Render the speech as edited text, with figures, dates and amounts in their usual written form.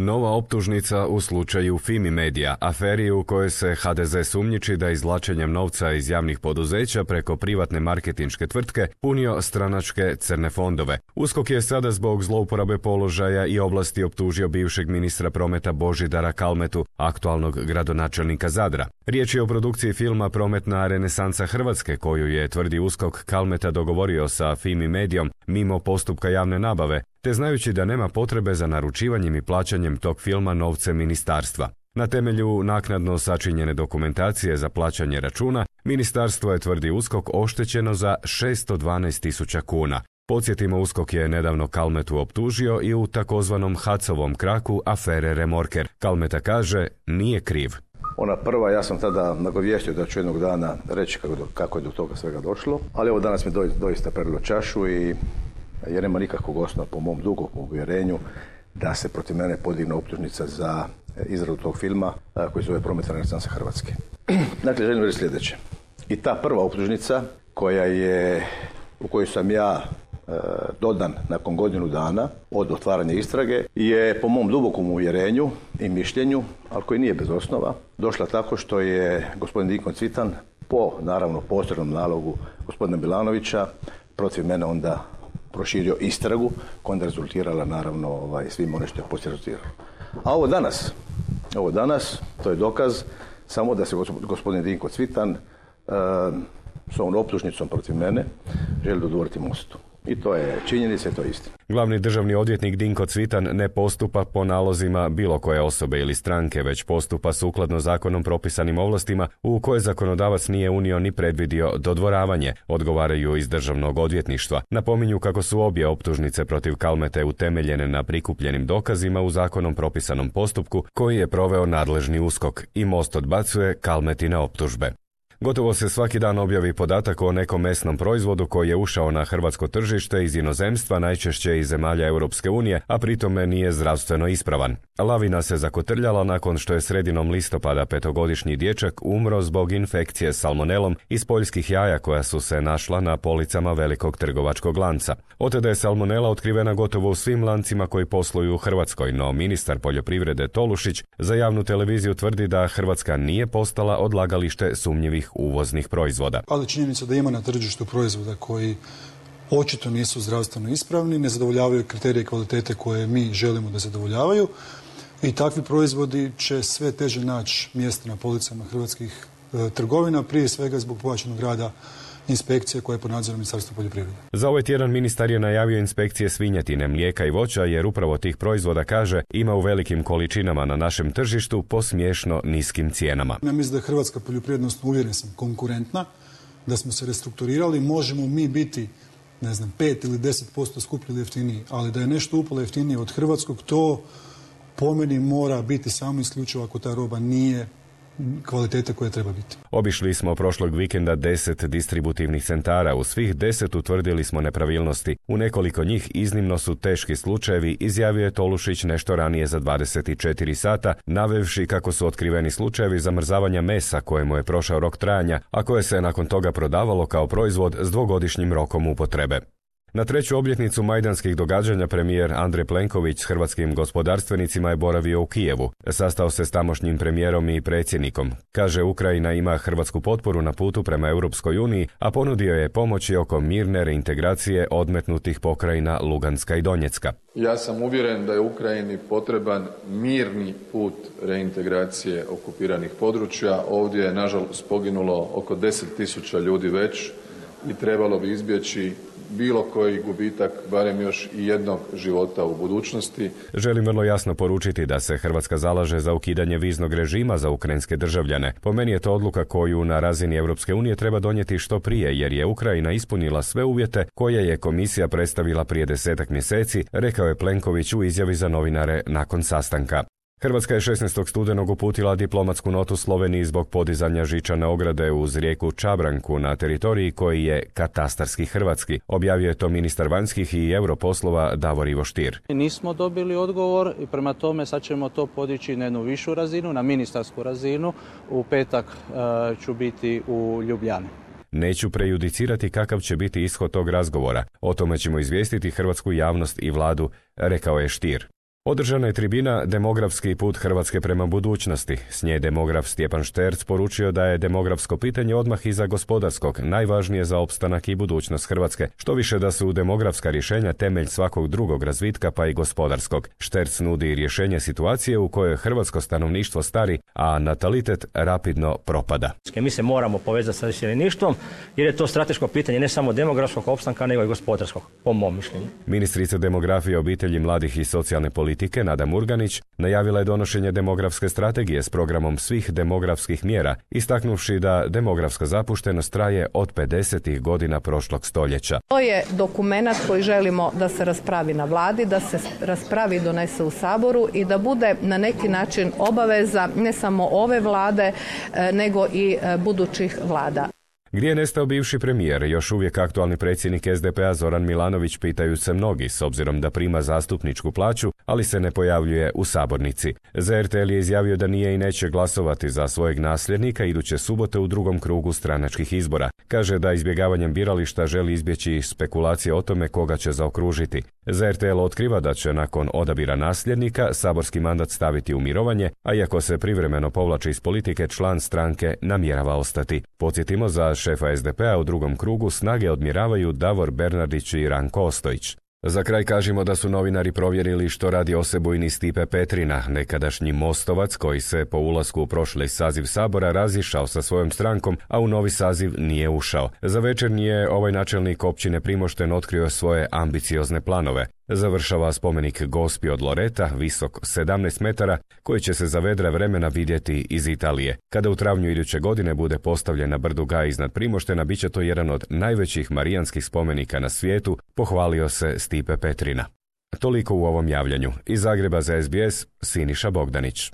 Nova optužnica u slučaju Fimi Media, aferi u kojoj se HDZ sumnjiči da izvlačenjem novca iz javnih poduzeća preko privatne marketinške tvrtke punio stranačke crne fondove. USKOK je sada zbog zlouporabe položaja i ovlasti optužio bivšeg ministra prometa Božidara Kalmetu, aktualnog gradonačelnika Zadra. Riječ je o produkciji filma Prometna renesansa Hrvatske, koju je, tvrdi USKOK, Kalmeta dogovorio sa Fimi Mediom mimo postupka javne nabave, te znajući da nema potrebe za naručivanjem i plaćanjem tog filma novcem ministarstva. Na temelju naknadno sačinjene dokumentacije za plaćanje računa, ministarstvo je, tvrdi USKOK, oštećeno za 612.000 kuna. Podsjetimo, USKOK je nedavno Kalmetu optužio i u takozvanom Hacovom kraku afere Remorker. Kalmeta kaže, nije kriv. Ona prva, ja sam tada nagovijestio da ću jednog dana reći kako je do toga svega došlo, ali ovo danas mi doista prelilo čašu i jer nema nikakvog osnova po mom dubokom uvjerenju da se protiv mene podigne optužnica za izradu tog filma koji se zove Prometna renesansa Hrvatske. Dakle, želim reći sljedeće. I ta prva optužnica u kojoj sam ja dodan nakon godinu dana od otvaranja istrage je po mom dubokom uvjerenju i mišljenju, ali koji nije bez osnova, došla tako što je gospodin Dinko Cvitan po, naravno, posebnom nalogu gospodina Milanovića protiv mene onda proširio istragu koja onda rezultirala, naravno, svim ono što je poslije rezultiralo. A ovo danas, to je dokaz samo da se gospodin Dinko Cvitan s ovom optužnicom protiv mene želi dodvoriti Mostu. I to je činjenica i to je istina. Glavni državni odvjetnik Dinko Cvitan ne postupa po nalozima bilo koje osobe ili stranke, već postupa sukladno zakonom propisanim ovlastima u koje zakonodavac nije unio ni predvidio dodvoravanje, odgovaraju iz državnog odvjetništva. Napominju kako su obje optužnice protiv Kalmete utemeljene na prikupljenim dokazima u zakonom propisanom postupku koji je proveo nadležni USKOK i Most odbacuje Kalmetine optužbe. Gotovo se svaki dan objavi podatak o nekom mesnom proizvodu koji je ušao na hrvatsko tržište iz inozemstva, najčešće iz zemalja Europske unije, a pritome nije zdravstveno ispravan. Lavina se zakotrljala nakon što je sredinom listopada 5-godišnji dječak umro zbog infekcije salmonelom iz poljskih jaja koja su se našla na policama velikog trgovačkog lanca. Od tada je salmonela otkrivena gotovo u svim lancima koji posluju u Hrvatskoj, no ministar poljoprivrede Tolušić za javnu televiziju tvrdi da Hrvatska nije postala odlagalište sumnjivih uvoznih proizvoda. Ali činjenica da ima na tržištu proizvoda koji očito nisu zdravstveno ispravni, ne zadovoljavaju kriterije kvalitete koje mi želimo da zadovoljavaju i takvi proizvodi će sve teže naći mjesto na policama hrvatskih trgovina, prije svega zbog pojačanog rada inspekcije koje je pod nadzorom Ministarstva poljoprivrede. Za ovaj tjedan ministar je najavio inspekcije svinjetine, mlijeka i voća jer upravo tih proizvoda, kaže, ima u velikim količinama na našem tržištu po smiješno niskim cijenama. Ja mislim da je hrvatska poljoprivrednost, uvjeren sam, konkurentna, da smo se restrukturirali, možemo mi biti 5 ili 10% skuplji ili jeftiniji, ali da je nešto upalo jeftinije od hrvatskog, to po meni mora biti samo isključivo ako ta roba nije kvalitete koje treba biti. Obišli smo prošlog vikenda 10 distributivnih centara. U svih 10 utvrdili smo nepravilnosti. U nekoliko njih iznimno su teški slučajevi, izjavio je Tolušić nešto ranije za 24 sata, navevši kako su otkriveni slučajevi zamrzavanja mesa kojemu je prošao rok trajanja, a koje se nakon toga prodavalo kao proizvod s 2-godišnjim rokom upotrebe. Na treću obljetnicu majdanskih događanja premijer Andrej Plenković s hrvatskim gospodarstvenicima je boravio u Kijevu. Sastao se s tamošnjim premijerom i predsjednikom. Kaže, Ukrajina ima hrvatsku potporu na putu prema Europskoj uniji, a ponudio je pomoći oko mirne reintegracije odmetnutih pokrajina Luganska i Donjecka. Ja sam uvjeren da je Ukrajini potreban mirni put reintegracije okupiranih područja. Ovdje je nažalost poginulo oko 10.000 ljudi već i trebalo bi izbjeći bilo koji gubitak, barem još i jednog života u budućnosti. Želim vrlo jasno poručiti da se Hrvatska zalaže za ukidanje viznog režima za ukrajinske državljane. Po meni je to odluka koju na razini Europske unije treba donijeti što prije, jer je Ukrajina ispunila sve uvjete koje je komisija predstavila prije 10 mjeseci, rekao je Plenković u izjavi za novinare nakon sastanka. Hrvatska je 16. studenog uputila diplomatsku notu Sloveniji zbog podizanja žičane ograde uz rijeku Čabranku na teritoriji koji je katastarski hrvatski. Objavio je to ministar vanjskih i europoslova Davor Ivo Stier. Nismo dobili odgovor i prema tome sad ćemo to podići na jednu višu razinu, na ministarsku razinu. U petak ću biti u Ljubljani. Neću prejudicirati kakav će biti ishod tog razgovora. O tome ćemo izvijestiti hrvatsku javnost i vladu, rekao je Stier. Održana je tribina Demografski put Hrvatske prema budućnosti. S nje demograf Stjepan Šterc poručio da je demografsko pitanje odmah iza gospodarskog, najvažnije za opstanak i budućnost Hrvatske, što više da su demografska rješenja temelj svakog drugog razvitka pa i gospodarskog. Šterc nudi rješenje situacije u kojoj hrvatsko stanovništvo stari, a natalitet rapidno propada. Mi se moramo povezati sa iseljeništvom jer je to strateško pitanje ne samo demografskog opstanka nego i gospodarskog, po mom mišljenju. Ministrica demografije, obitelji, mladih i socijalne politike Nada Murganić najavila je donošenje demografske strategije s programom svih demografskih mjera, istaknuvši da demografska zapuštenost traje od 50. godina prošlog stoljeća. To je dokumenat koji želimo da se raspravi na vladi, da se raspravi i donese u Saboru i da bude na neki način obaveza ne samo ove vlade nego i budućih vlada. Gdje je nestao bivši premijer, još uvijek aktualni predsjednik SDP-a Zoran Milanović, pitaju se mnogi, s obzirom da prima zastupničku plaću, ali se ne pojavljuje u sabornici. Za RTL je izjavio da nije i neće glasovati za svojeg nasljednika iduće subote u drugom krugu stranačkih izbora. Kaže da izbjegavanjem birališta želi izbjeći spekulacije o tome koga će zaokružiti. Za RTL otkriva da će nakon odabira nasljednika saborski mandat staviti u mirovanje, a iako se privremeno povlači iz politike, član stranke namjerava ostati. Podsjetimo, za šefa SDP-a u drugom krugu snage odmjeravaju Davor Bernardić i Ranko Ostojić. Za kraj kažemo da su novinari provjerili što radi osebujni Stipe Petrina, nekadašnji Mostovac koji se po ulasku u prošli saziv Sabora razišao sa svojom strankom, a u novi saziv nije ušao. Za večernji je ovaj načelnik općine Primošten otkrio svoje ambiciozne planove. Završava spomenik Gospi od Loreta, visok 17 metara, koji će se za vedra vremena vidjeti iz Italije. Kada u travnju iduće godine bude postavljen na brdu Gaj iznad Primoštena, bit će to jedan od najvećih marijanskih spomenika na svijetu, pohvalio se Stipe Petrina. Toliko u ovom javljanju. Iz Zagreba za SBS, Siniša Bogdanić.